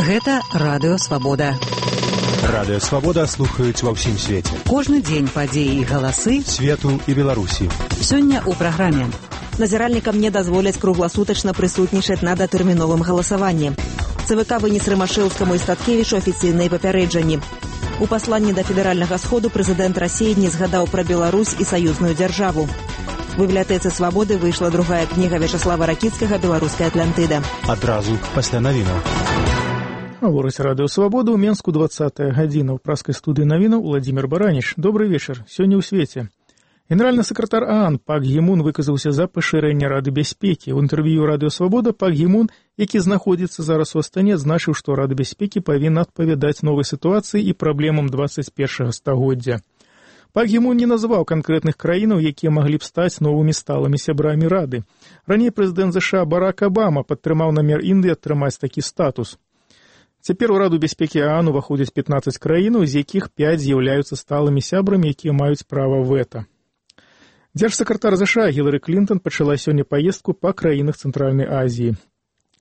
Гэта Радыё Свабода. Радыё Свабода слухаюць ва ўсім свеце. Кожны дзень падзеі і галасы свету і Беларусі. Сёння ў праграме. Назіральнікам не дазволяць кругласутачна прысутнічаць на датэрміновым галасаванні. ЦВК вынес Рымашэўскаму і Статкевічу афіцыйныя папярэджанні. У пасланні да федэральнага сходу прэзідэнт Расіі не згадаў пра Беларусь і саюзную дзяржаву. У бібліятэцы Свабоды выйшла другая кніга Вячаслава Ракіцкага «Беларуская Атлантыда». Адразу пасля навінаў. Гаворыць Радыё Свабода ў Менску 20-я гадзіна. У праскай студыі навінаў Уладзімір Бараніч. Добры вечар. Сёння ў свеце. Генеральны сакратар ААН Пак Гі Мун выказаўся за пашырэнне Рады бяспекі. У інтэрв'ю Радыё Свабода Пак Гі Мун, які знаходзіцца зараз у Астане, адзначыў, што Рада бяспекі павінна адпавядаць новай сітуацыі і праблемам 21-га стагоддзя. Пак Гі Мун не назваў канкрэтных краінаў, якія маглі б стаць новымі сталымі сябрамі Рады. Раней прэзідэнт ЗША Барак Абама падтрымаў намер Індыі атрымаць такі статус. Цяпер у Раду бяспекі ААН уваходзяць 15 краінаў, з якіх 5 з'яўляюцца сталымі сябрамі, якія маюць права вэта. Дзяржсакратар ЗША Гілары Клінтон пачала сёння паездку па краінах Цэнтральнай Азіі.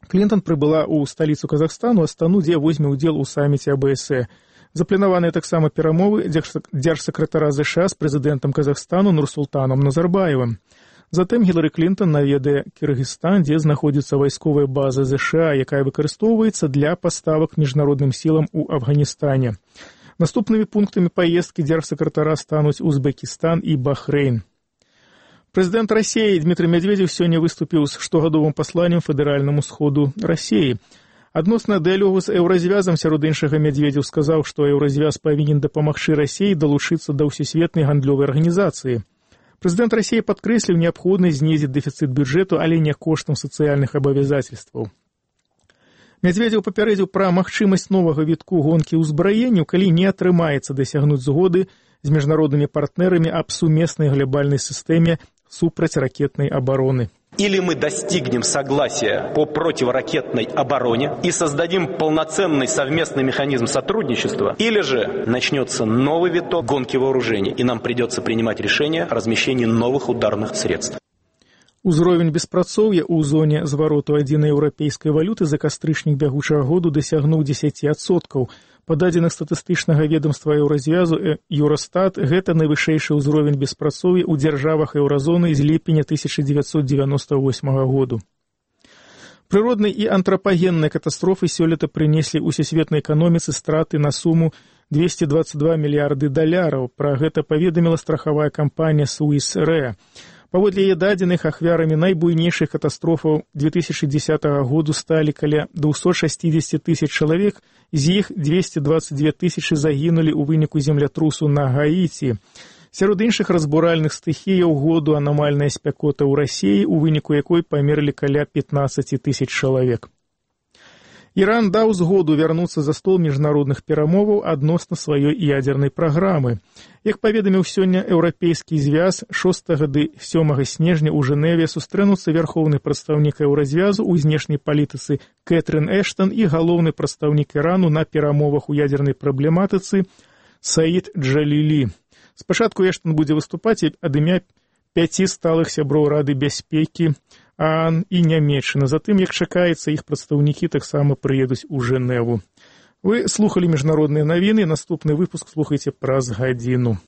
Клінтон прыбыла ў сталіцу Казахстану, Астану, дзе возьме ўдзел у саміце АБСЭ. Запланаваныя таксама перамовы дзяржсакратара ЗША з прэзідэнтам Казахстану Нурсултанам Назарбаевым. Затым Гілары Клінтон наведае Кыргызстан, дзе знаходзіцца вайсковая база ЗША, якая выкарыстоўваецца для паставак міжнародным сілам у Афганістане. Наступнымі пунктамі паездкі дзяржсакратара стануць Узбекістан і Бахрэйн. Прэзідэнт Расіі Дмітрый Медведзеў сёння выступіў з штогадовым пасланнем федэральнаму сходу Расіі. Адносна дыялогу з еўразвязам, сярод іншага, Медведзеў сказаў, што еўразвяз павінен дапамагчы Расіі далучыцца да ўсесветнай гандлёвай арганізацыі. Прэзідэнт Расіі падкрэсліў неабходнасць знізіць дэфіцыт бюджэту, але не коштам сацыяльных абавязацельстваў. Медведзеў папярэдзіў пра магчымасць новага вітку гонкі ўзбраенняў, калі не атрымаецца дасягнуць згоды з міжнароднымі партнерамі аб сумеснай глобальнай сістэме супрацьракетнай обороны. Или мы достигнем согласия по противоракетной обороне и создадим полноценный совместный механизм сотрудничества, или же начнется новый виток гонки вооружений, и нам придется принимать решение о размещении новых ударных средств. Узровень беспрацоўя ў зоне звароту адзінай еўрапейскай валюты за кастрычнік бягучага году дасягнуў 10%. Па дадзеных статыстычнага ведомства еўразвязу Юростат, гэта найвышэйшы ўзровень беспрацоўя ў дзяржавах еўразоны з ліпеня 1998 году. Прыродныя і антрапагенныя катастрофы сёлета прынеслі ўсесветнай эканоміцы страты на суму $222 мільярды. Пра гэта паведаміла страхавая кампанія Swiss Re. Паводле яе дадзеных, ахвярамі найбуйнейшых катастрофаў 2010 году сталі каля 260 тысяч чалавек, з іх 222 тысячы загінулі ў выніку землятрусу на Гаіці. Сярод іншых разбуральных стыхіяў году анамальная спякота ў Расіі, у выніку якой памерлі каля 15 тысяч чалавек. Іран даў згоду вярнуцца за стол міжнародных перамоваў адносна сваёй ядзернай праграмы. Як паведаміў сёння еўрапейскі звяз, 6 ды 7 снежня ў Жэневе сустрэнуцца вярхоўны прадстаўнік еўразвязу ў знешняй палітыцы Кэтрын Эштон і галоўны прадстаўнік Ірану на перамовах у ядзернай праблематыцы Саід Джалілі. Спачатку Эштон будзе выступаць ад імя 5 сталых сяброў Рады бяспекі ААН і Нямецчына. Затым, як чакаецца, іх прадстаўнікі таксама прыедуць у Жэневу. Вы слухалі міжнародныя навіны. Наступны выпуск слухайце праз гадзіну.